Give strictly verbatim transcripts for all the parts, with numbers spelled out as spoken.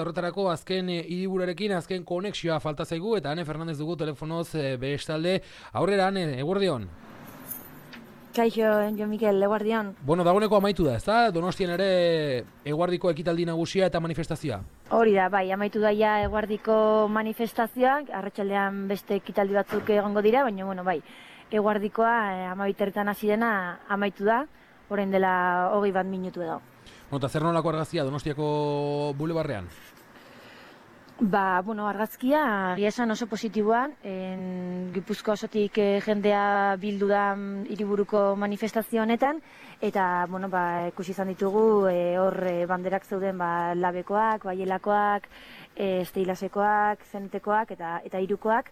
Horretarako azken hiriburuarekin azken konexioa falta zaigu eta Ane Fernandez dugu telefonoz bestalde. Aurrera, Ane, eguerdion. Kaixo, Jo Mikel, eguerdion. Bueno, dagoeneko amaitu da, ezta? Donostian ere eguardiko ekitaldi nagusia eta manifestazioa. Hori da, bai, amaitu daia eguardiko manifestazioak, arratsaldean beste ekitaldi batzuk egongo dira, baina, bueno, bai, eguardikoa eh, amabiterretan hasi dena amaitu da, orain dela hogei bat minutu edo. Bueno, eta zer nolako argazkia Donostiako bulebarrean? Ba, bueno, argazkia egia esan oso positiboan, en, Gipuzkoa osotik eh, jendea bildu da hiriburuko manifestazio honetan, eta, bueno, ba, ikusi izan ditugu, eh, hor eh, banderak zeuden, ba, labekoak, baielakoak, eh, esteilasekoak, zenetekoak eta eta hirukoak,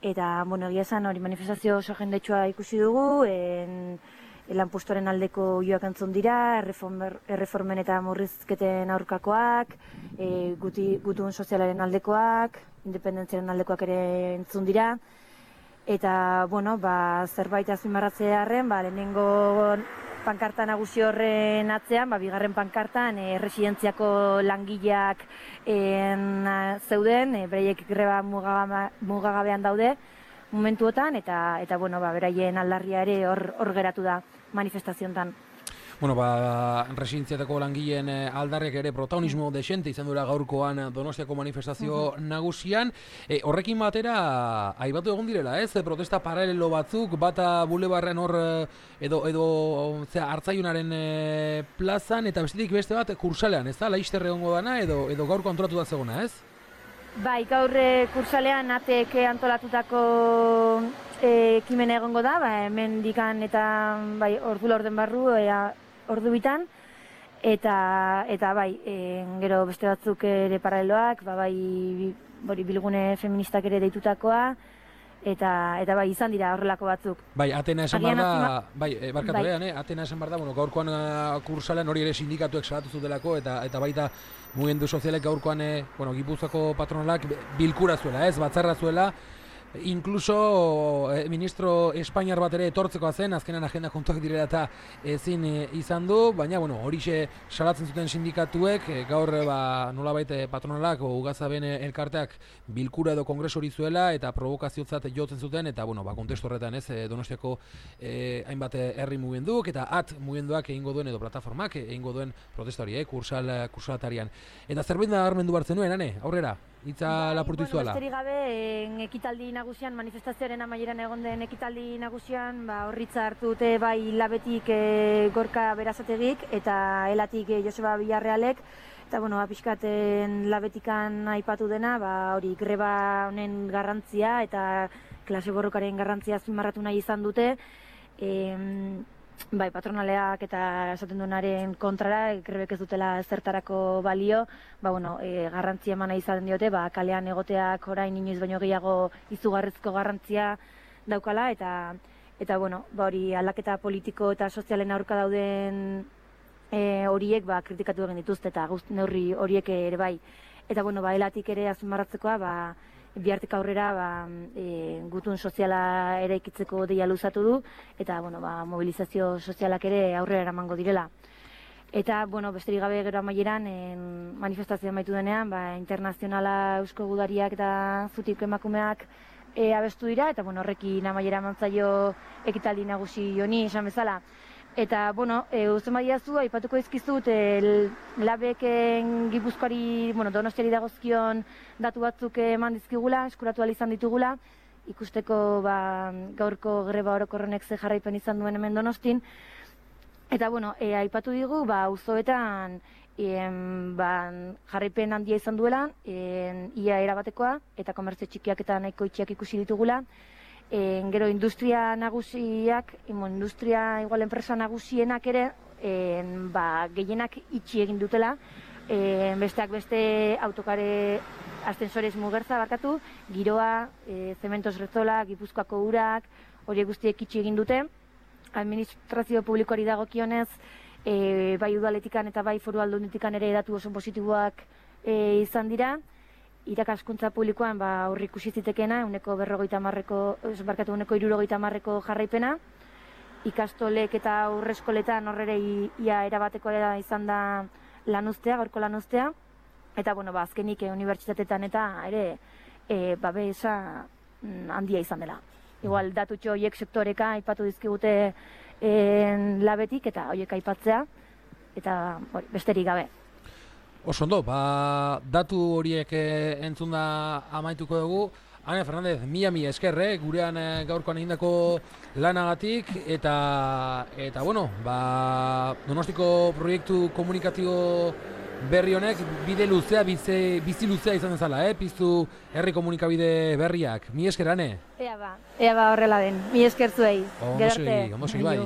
eta, bueno, egia esan hori manifestazio oso jendetsua ikusi dugu, en, lanpostoren aldeko joak entzun dira, erreformen eta murrizketen aurkakoak, e, guti, gutun sozialaren aldekoak, independentziaren aldekoak ere entzun dira. Eta, bueno, ba, zerbait azpimarratzearren, ba, lehenengo pankarta nagusi horren atzean, ba, bigarren pankartan, e, residentziako langileak en, zeuden, e, bereiek greba mugagabean daude, momentuotan, eta, eta bueno, ba, beraien aldarria ere hor, hor geratu da manifestazioetan. Bueno, ba, residentziatako langileen aldarrek ere protagonismo desente izan dura gaurkoan Donostiako manifestazio uh-huh. nagusian. E, horrekin batera, aibatu egon direla, ez? Protesta paralelo batzuk, bata bulebarren hor edo, edo zera, Artzaiunaren e, plazan, eta bestetik beste bat kursalean, ez da? Laizter egongo dana, edo, edo gaurko antolatu da zegona, ez? Bai, gaur kursalean atek antolatutako ekimena egongo da, ba, hemen dikan eta bai, ordu laurden barru, e, ordu bitan, eta, eta bai, e, gero beste batzuk ere paraleloak, ba, bai, bori, bilgune feministak ere deitutakoa, eta, eta bai, izan dira horrelako batzuk. Bai, Atena esan bar da, bai, e, barkatu bai. Ean, eh? Atena esan bar da, bueno, gaurkoan uh, kursalean hori ere sindikatuek salatu zutelako, eta, eta baita mugimendu sozialek gaurkoan, eh, bueno, Gipuzkoako patronalak bilkura zuela, ez, batzarra zuela, inkluso eh, ministro Espainiar bat ere etortzeko zen, azkenan agenda kontuak direla eta ezin e, izan du, baina bueno, horixe salatzen zuten sindikatuek, e, gaur e, ba, nolabait e, patronalak o Ugazaben elkarteak bilkura edo kongresu hori zuela eta provokaziotzat jotzen zuten, eta bueno, ba, kontestu horretan ez, e, Donostiako e, hainbat herri mugimenduk eta at mugimenduak egingo duen edo plataformak egingo duen protesta hori, eh, kursal, kursalatarian. Eta zerbait da armendu bartzen nuen, Ane, aurrera? Itza bai, lapurtu izuela. Bueno, besterik gabe, en, ekitaldi nagusian, manifestazioaren amaieran egon den ekitaldi nagusian, ba, horritza hartu dute bai labetik e, Gorka Berasategik eta elatik e, Joseba Villarrealek, eta bueno, ba, pixkaten labetikan aipatu dena, ba, hori greba honen garrantzia eta klase borrokaren garrantzia azpimarratu nahi izan dute, e, bai, patronaleak eta esaten duenaren kontrara, grebek ez dutela zertarako balio, ba, bueno, e, garrantzia eman nahi izaten diote, ba, kalean egoteak orain inoiz baino gehiago izugarrizko garrantzia daukala, eta, eta bueno, ba, hori aldaketa politiko eta sozialen aurka dauden e, horiek ba, kritikatu egin dituzte, eta guzti neurri horiek ere bai. Eta, bueno, ba, elatik ere azpimarratzekoa, ba, bihartik aurrera ba, e, gutun soziala ere ikitzeko deia luzatu du, eta bueno, ba, mobilizazio sozialak ere aurrera eramango direla. Eta, bueno, besterik gabe gero amaieran, manifestazio amaitu denean, ba, internazionala Eusko Gudariak eta Zutik emakumeak e, abestu dira, eta bueno, horrekin amaiera mantzaio ekitaldi nagusi honi esan bezala. Eta, bueno, e, uzen badiazu, aipatuko izkizut, e, labeken Gipuzkoari, bueno, Donostiari dagozkion datu batzuk eman dizkigula, eskuratu ahal izan ditugula, ikusteko ba, gaurko greba orokorrenek ze jarraipen izan duen hemen Donostin. Eta, bueno, e, aipatu digu, ba, auzoetan e, ba, jarraipen handia izan duela, e, ia erabatekoa, eta komertzio txikiak eta nahiko itxiak ikusi ditugula. E, gero industria nagusiak, imo, industria igual enpresa nagusienak ere, e, ba, gehienak itxi egin dutela, e, besteak beste autokare ascensores mugertza barkatu, giroa, e, Cementos Rezola, Gipuzkoako urak, horiek guztiek itxi egin dute. Administrazio publikoari dagokionez, e, bai udaletikan eta bai foru aldunetikan ere datu oso positiboak e, izan dira. Irakaskuntza publikoan ba, aurri ikusi zitekena, uneko berrogeita marreko, barkatu uneko irurogeita marreko jarraipena. Ikastolek eta aurreskoletan horrere ia erabateko izan da lanuztea, gaurko lanuztea. eta bueno, ba, azkenik e, unibertsitateetan eta ere e, babesa mm, handia izan dela. Igual datutxo horiek sektoreka aipatu dizkigute e, labetik eta horiek aipatzea, eta hori, besterik gabe. Oso ondo, ba, datu horiek e, entzunda amaituko dugu. Ane Fernandez, mila mila eskerre, gurean e, gaurkoan egindako lanagatik, eta, eta bueno, ba, Donostiko proiektu komunikatibo berri honek bide luzea, bizi, bizi luzea izan dezala, eh? Piztu herri komunikabide berriak. Mi esker, Ane? Ea ba, ea ba horrela den, mi esker zuei. Ondo segi, ondo segi bai.